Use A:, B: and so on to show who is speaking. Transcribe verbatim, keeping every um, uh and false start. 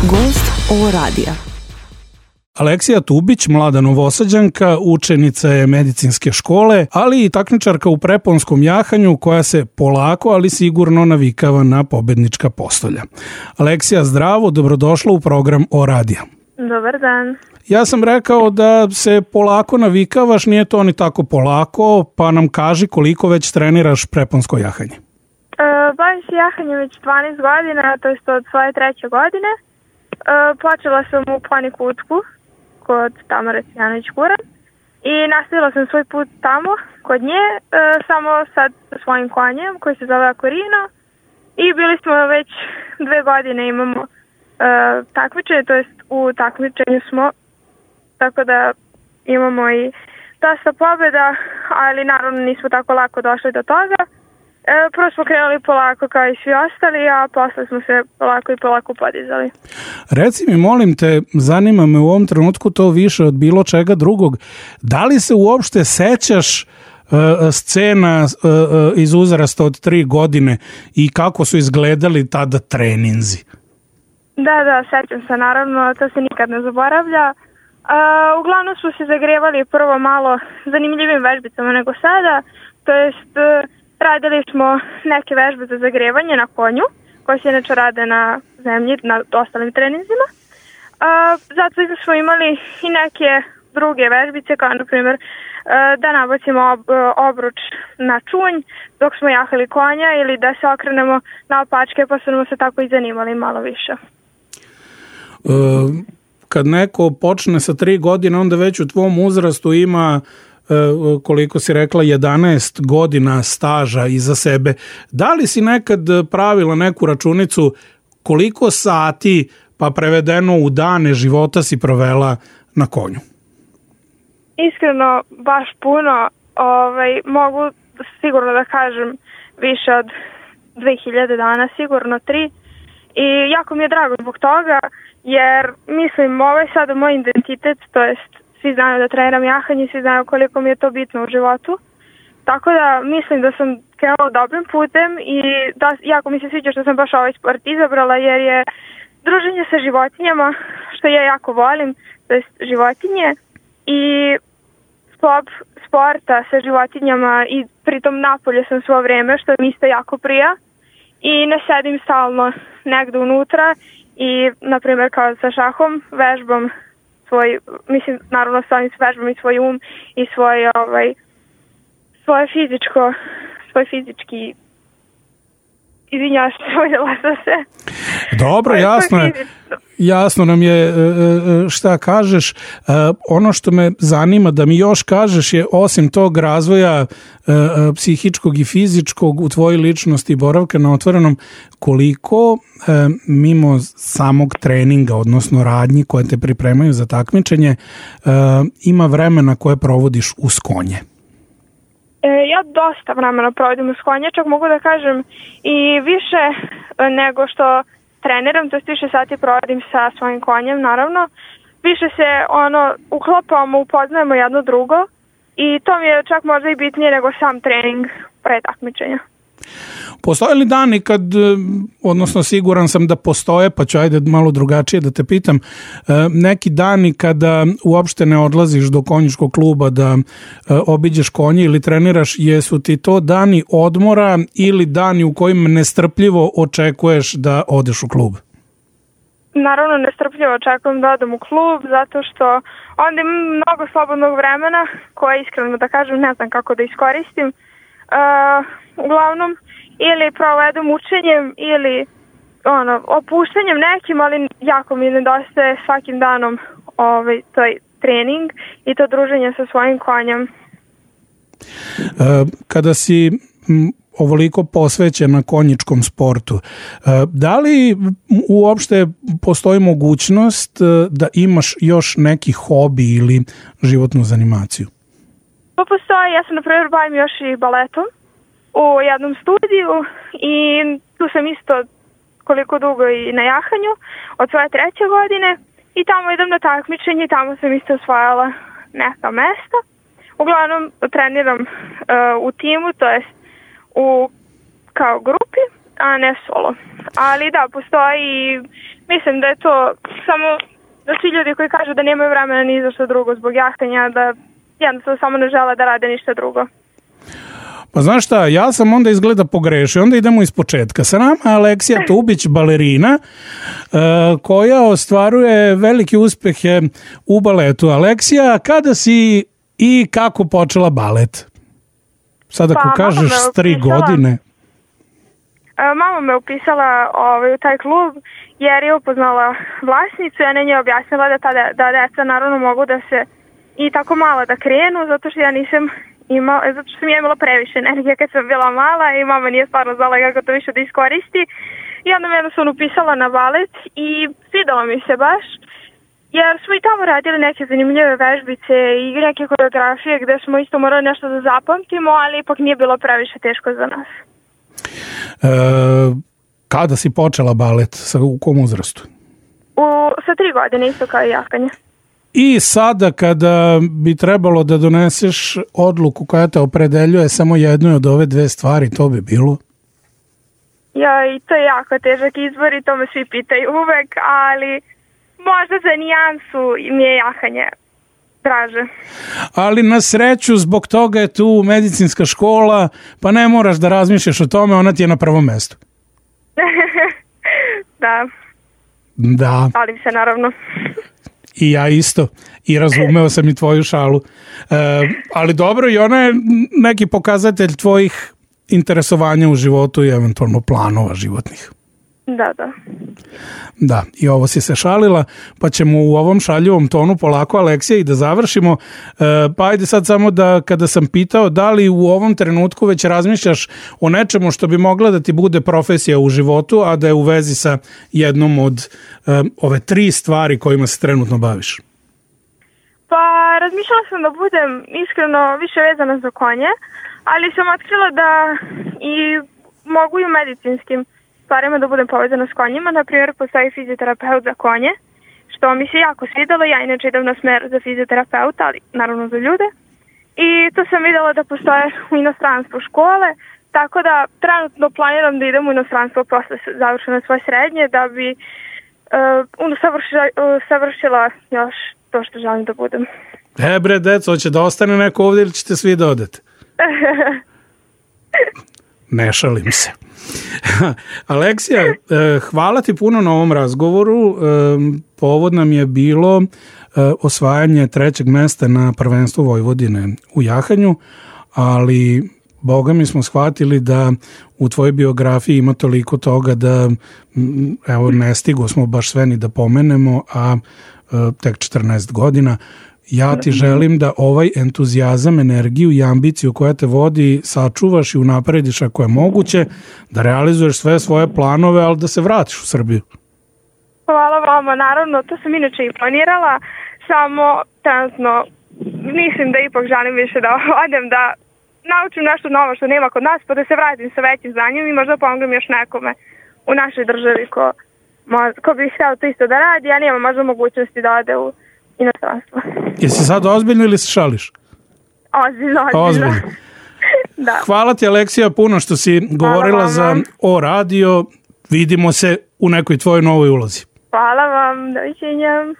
A: Gost O radija.
B: Aleksija Tubić, mlada Novosađanka, učenica je medicinske škole, ali i takmičarka u preponskom jahanju koja se polako, ali sigurno navikava na pobednička postolja. Aleksija, zdravo, dobrodošla u program O radija.
C: Dobar dan.
B: Ja sam rekao da se polako navikavaš, nije to ni tako polako, pa nam kaži koliko već treniraš preponsko jahanje.
C: E, bavim se jahanjem već dvanaest godina, to je od svoje treće godine. E, počela sam u Plani Kutku kod Tamare Cvijanović-Kuran i nastavila sam svoj put tamo kod nje, e, samo sad sa svojim konjem koji se zove Akorino i bili smo već dve godine imamo e, takmičenje, to jest u takmičenju smo, tako da imamo i dosta pobjeda, ali naravno nismo tako lako došli do toga. E, prvo smo krenuli polako kao i svi ostali, a posle smo se polako i polako podizali.
B: Reci mi, molim te, zanima me u ovom trenutku to više od bilo čega drugog. Da li se uopšte sećaš uh, scena uh, uh, iz uzrasta od tri godine i kako su izgledali tada treninzi?
C: Da, da, sećam se, naravno, to se nikad ne zaboravlja. Uh, uglavnom smo se zagrevali prvo malo zanimljivim vežbicama nego sada, to jest uh, radili smo neke vežbe za zagrevanje na konju, koje se inače rade na zemlji, na ostalim treninzima. Uh, zato smo imali i neke druge vežbice, kao na primjer uh, da nabacimo ob, obruč na čunj dok smo jahali konja ili da se okrenemo na opačke, pa smo se tako i zanimali malo više.
B: Uh, kad neko počne sa tri godine, onda već u tvom uzrastu ima koliko si rekla, jedanaest godina staža iza sebe. Da li si nekad pravila neku računicu koliko sati, pa prevedeno u dane života, si provela na konju?
C: Iskreno, baš puno. Ovaj, mogu sigurno da kažem više od dve hiljade dana, sigurno tri. I jako mi je drago zbog toga, jer mislim, ovo je sada moj identitet, to jest svi znaju da treniram jahanje, svi znaju koliko mi je to bitno u životu. Tako da mislim da sam krenula dobrim putem i da, jako mi se sviđa što sam baš ovaj sport izabrala, jer je druženje sa životinjama, što ja jako volim, to je životinje, i sklop sporta sa životinjama i pritom napolje sam svo vreme, što mi isto jako prija i ne sedim stalno negde unutra i, na primjer, kao sa šahom, vežbam svoj, mislim, naravno stavim s vežbom i svoj um i svoj, ovaj, svoje fizičko, svoj fizički, izvinjavam se, voljela sam se.
B: Dobro, jasno je, jasno nam je šta kažeš. Ono što me zanima da mi još kažeš je, osim tog razvoja psihičkog i fizičkog u tvojoj ličnosti i boravka na otvorenom, koliko mimo samog treninga, odnosno radnji koje te pripremaju za takmičenje, ima vremena koje provodiš uz konje?
C: Ja dosta vremena provodim uz konje, čak mogu da kažem i više nego što treniram, to je više sati provodim sa svojim konjem, naravno. Više se ono uklopamo, upoznajemo jedno drugo i to mi je čak možda i bitnije nego sam trening pre takmičenja.
B: Postoje li dani kad, odnosno siguran sam da postoje, pa ću ajde malo drugačije da te pitam, neki dani kada uopšte ne odlaziš do konjičkog kluba da obiđeš konje ili treniraš, jesu ti to dani odmora ili dani u kojim nestrpljivo očekuješ da odeš u klub?
C: Naravno, nestrpljivo očekujem da odem u klub, zato što onda imam mnogo slobodnog vremena koje, iskreno da kažem, ne znam kako da iskoristim. Uh, uglavnom, ili provedem učenjem ili ono, opuštanjem nekim, ali jako mi nedostaje svakim danom ovaj, toj trening i to druženje sa svojim konjem.
B: Kada si ovoliko posvećena konjičkom sportu, da li uopšte postoji mogućnost da imaš još neki hobi ili životnu zanimaciju?
C: Pa postoji, ja sam na primjer bavim još i baletom u jednom studiju i tu sam isto koliko dugo i na jahanju od svoje treće godine i tamo idem na takmičenje i tamo sam isto osvajala neka mesta. Uglavnom treniram uh, u timu, to jest u kao grupi, a ne solo. Ali da, postoji i mislim da je to samo da svi ljudi koji kažu da nemaju vremena ni za što drugo zbog jahtanja, da jednostavno samo ne žele da rade ništa drugo.
B: Pa znaš šta, ja sam onda izgleda pogrešio, onda idemo iz početka. Sa nama Aleksija Tubić, balerina, koja ostvaruje velike uspehe u baletu. Aleksija, kada si i kako počela balet? Sad ako pa, kažeš s tri godine.
C: Mama me upisala ovaj, u taj klub jer je upoznala vlasnicu i ona je objasnila da, ta, da deca naravno mogu da se i tako mala da krenu, zato što ja nisam imala, zato što sam ja imala previše energije kad sam bila mala i mama nije stvarno znala kako to više da iskoristi. I onda me jednostavno upisala na balet i svidalo mi se baš, jer smo i tamo radili neke zanimljive vežbice i neke koreografije gde smo isto morali nešto da zapamtimo, ali ipak nije bilo previše teško za nas.
B: E, kada si počela balet? Sa, u kom uzrastu?
C: U, sa tri godine, isto kao i jahanje.
B: I sada kada bi trebalo da doneseš odluku koja te opredeljuje samo jednoj od ove dve stvari, to bi bilo?
C: Ja, i to je jako težak izbor i to me svi pitaju uvek, ali možda za nijansu mi je jahanje draže.
B: Ali na sreću zbog toga je tu medicinska škola, pa ne moraš da razmišljaš o tome, ona ti je na prvom mestu.
C: Da.
B: Da.
C: Šalim se naravno.
B: I ja isto. I razumeo sam i tvoju šalu. E, ali dobro, i ona je neki pokazatelj tvojih interesovanja u životu i eventualno planova životnih.
C: Da, da.
B: Da, i ovo si se šalila, pa ćemo u ovom šaljivom tonu polako, Aleksija, i da završimo. E, pa ajde sad samo da, kada sam pitao da li u ovom trenutku već razmišljaš o nečemu što bi mogla da ti bude profesija u životu, a da je u vezi sa jednom od e, ove tri stvari kojima se trenutno baviš.
C: Pa razmišljala sam da budem iskreno više vezana za konje, ali sam otkrila da i mogu i u medicinskim stvarima da budem povezana s konjima. Naprimjer, postoji fizioterapeut za konje, što mi se jako svidalo. Ja inače idem na smer za fizioterapeuta, ali naravno za ljude. I to sam videla da postoje u inostranstvu škole, tako da trenutno planiram da idem u inostranstvo posle završene svoje srednje, da bi uh, savršila, uh, savršila još to što želim da budem.
B: E bre, deco, hoće da ostane neko ovdje ili ćete svi da odete? Ne šalim se. Aleksija, hvala ti puno na ovom razgovoru. Povod nam je bilo osvajanje trećeg mesta na prvenstvu Vojvodine u jahanju, ali Boga mi smo shvatili da u tvojoj biografiji ima toliko toga da evo ne stigo smo baš sve ni da pomenemo, a tek četrnaest godina. Ja ti želim da ovaj entuzijazam, energiju i ambiciju koja te vodi sačuvaš i unaprediš ako je moguće, da realizuješ sve svoje planove, ali da se vratiš u Srbiju.
C: Hvala vama, naravno, to sam inače i planirala, samo trenutno mislim da ipak želim više da odem, da naučim nešto novo što nema kod nas, pa da se vratim sa većim znanjem i možda pomognem još nekome u našoj državi ko, ko bi htio to isto da radi, a nema možda mogućnosti da ode u inostranstvo.
B: Jesi sad ozbiljno ili se šališ?
C: Ozbiljno, ozbiljno. ozbiljno. Da.
B: Hvala ti, Aleksija, puno što si govorila za O radio. Vidimo se u nekoj tvojoj novoj ulozi.
C: Hvala vam, doviđenja.